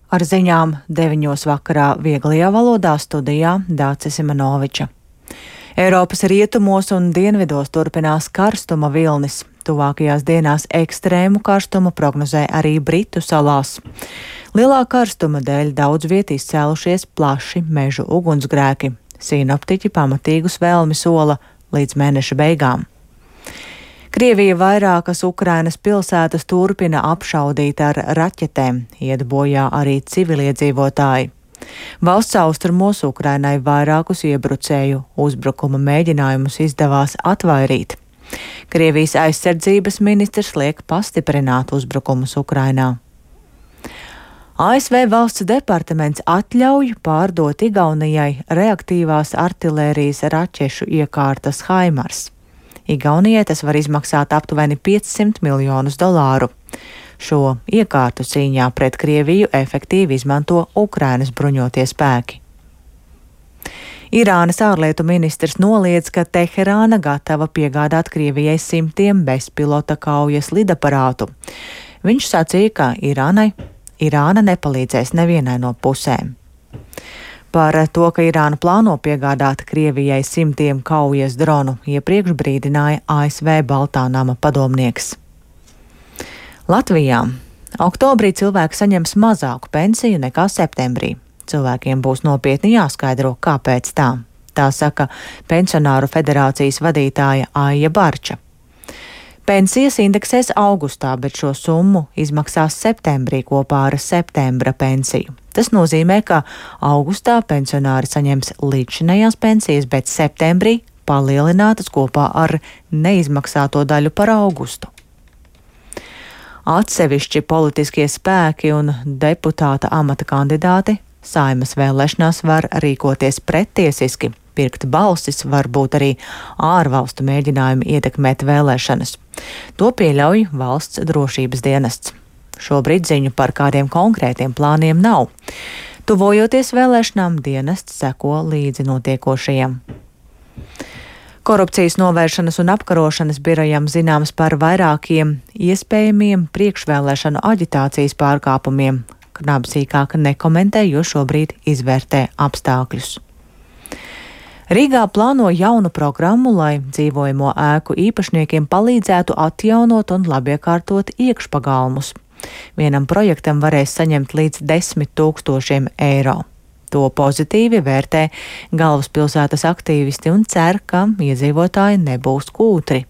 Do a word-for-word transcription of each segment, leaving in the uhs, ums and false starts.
Ar ziņām deviņos vakarā vieglajā valodā studijā Dācis Simanoviča. Eiropas rietumos un dienvidos turpinās karstuma vilnis. Tuvākajās dienās ekstrēmu karstumu prognozē arī Britu salās. Lielā karstuma dēļ daudz viet izcēlušies plaši mežu ugunsgrēki. Sinoptiķi pamatīgus vēlmi sola līdz mēneša beigām. Krievija vairākas Ukrainas pilsētas turpina apšaudīt ar raķetēm, iet bojā arī civiliedzīvotāji. Valsts austrumos Ukrainai vairākus iebrucēju uzbrukuma mēģinājumus izdevās atvairīt. Krievijas aizsardzības ministrs liek pastiprināt uzbrukumus Ukrainā. A S V valsts departaments atļauj pārdot Igaunijai reaktīvās artilērijas raķešu iekārtas Haimars. Igaunijai tas var izmaksāt aptuveni piecsimt miljonus dolāru. Šo iekārtu cīņā pret Krieviju efektīvi izmanto Ukrainas bruņotie spēki. Irānas ārlietu ministrs noliedz, ka Teherāna gatava piegādāt Krievijai simtiem bezpilota kaujas lidaparātu. Viņš sacīja, ka Irānai, Irāna nepalīdzēs nevienai no pusēm. Par to, ka Irāna plāno piegādāt Krievijai simtiem kaujas dronu, iepriekš brīdināja A S V Baltā nama padomnieks. Latvijā oktobrī cilvēki saņems mazāku pensiju nekā septembrī. Cilvēkiem būs nopietni jāskaidro, kāpēc tā. Tā saka Pensionāru federācijas vadītāja Aija Barča. Pensijas indeksēs augustā, bet šo summu izmaksās septembrī kopā ar septembra pensiju. Tas nozīmē, ka augustā pensionāri saņems līdzinējās pensijas, bet septembrī palielinātas kopā ar neizmaksāto daļu par augustu. Atsevišķi politiskie spēki un deputāta amata kandidāti Saeimas vēlēšanās var rīkoties pretiesiski. Pirkt balsis var būt arī ārvalstu mēģinājumi ietekmēt vēlēšanas. To pieļauj valsts drošības dienests. Šobrīd ziņu par kādiem konkrētiem plāniem nav. Tuvojoties vēlēšanām, dienests seko līdzi notiekošajiem. Korupcijas novēršanas un apkarošanas birojam zināms par vairākiem iespējamiem priekšvēlēšanu aģitācijas pārkāpumiem. Knab sīkāk nekomentē, jo šobrīd izvērtē apstākļus. Rīgā plāno jaunu programmu, lai dzīvojamo ēku īpašniekiem palīdzētu atjaunot un labiekārtot iekšpagalmus. Vienam projektam varēs saņemt līdz desmit tūkstošiem eiro. To pozitīvi vērtē galvaspilsētas aktīvisti un cer, ka iedzīvotāji nebūs kūtri.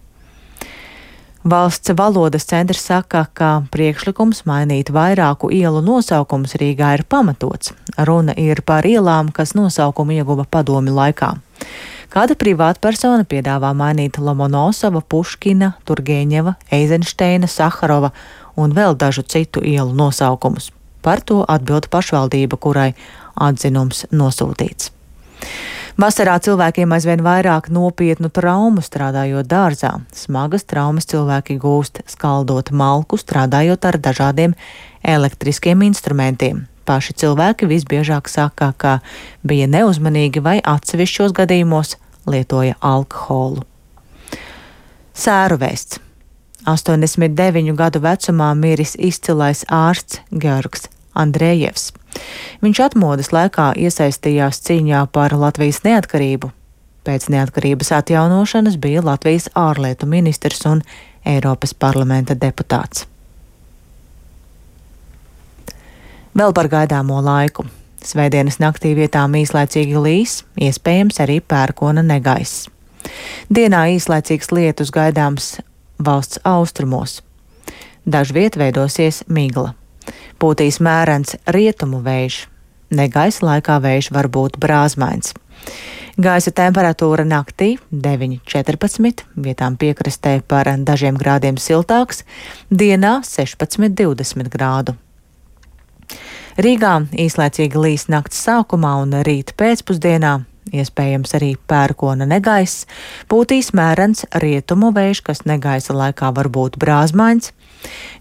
Valsts valodas centrs saka, ka priekšlikums mainīt vairāku ielu nosaukumus Rīgā ir pamatots. Runa ir par ielām, kas nosaukumu ieguva padomju laikā. Kāda privātpersona piedāvā mainīt Lomonosova, Puškina, Turgeņeva, Eizenšteina, Saharova un vēl dažu citu ielu nosaukumus. Par to atbild pašvaldība, kurai atzinums nosūtīts. Vasarā cilvēkiem aizvien vairāk nopietnu traumu strādājot dārzā. Smagas traumas cilvēki gūst skaldot malku, strādājot ar dažādiem elektriskiem instrumentiem. Paši cilvēki visbiežāk saka, ka bija neuzmanīgi vai atsevišķos gadījumos lietoja alkoholu. Sēru vēsts. astoņdesmit deviņu gadu vecumā miris izcilais ārsts Georgs Andrejevs. Viņš atmodas laikā iesaistījās cīņā par Latvijas neatkarību. Pēc neatkarības atjaunošanas bija Latvijas ārlietu ministrs un Eiropas parlamenta deputāts. Vēl par gaidāmo laiku. Svētdienas naktī vietām īslaicīgi līs, iespējams arī pērkona negaiss. Dienā īslaicīgs lietus gaidāms valsts austrumos. Dažviet veidosies migla. Pūtīs mērens rietumu vējš. Negaisa laikā vējš var būt brāzmains. Gaisa temperatūra naktī deviņi četrpadsmit, vietām piekrastē par dažiem grādiem siltāks, dienā sešpadsmit divdesmit grādu. Rīgā īslaicīgi līs nakts sākumā un rīt pēcpusdienā, iespējams arī pērkona negaiss, pūtīs mērens rietumu vējš, kas negaisa laikā var būt brāzmains.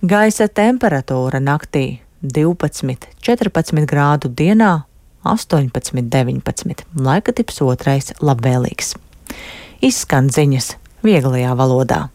Gaisa temperatūra naktī divpadsmit četrpadsmit grādu, dienā astoņpadsmit deviņpadsmit. Laika tips otrais labvēlīgs. Izskan ziņas vieglajā valodā.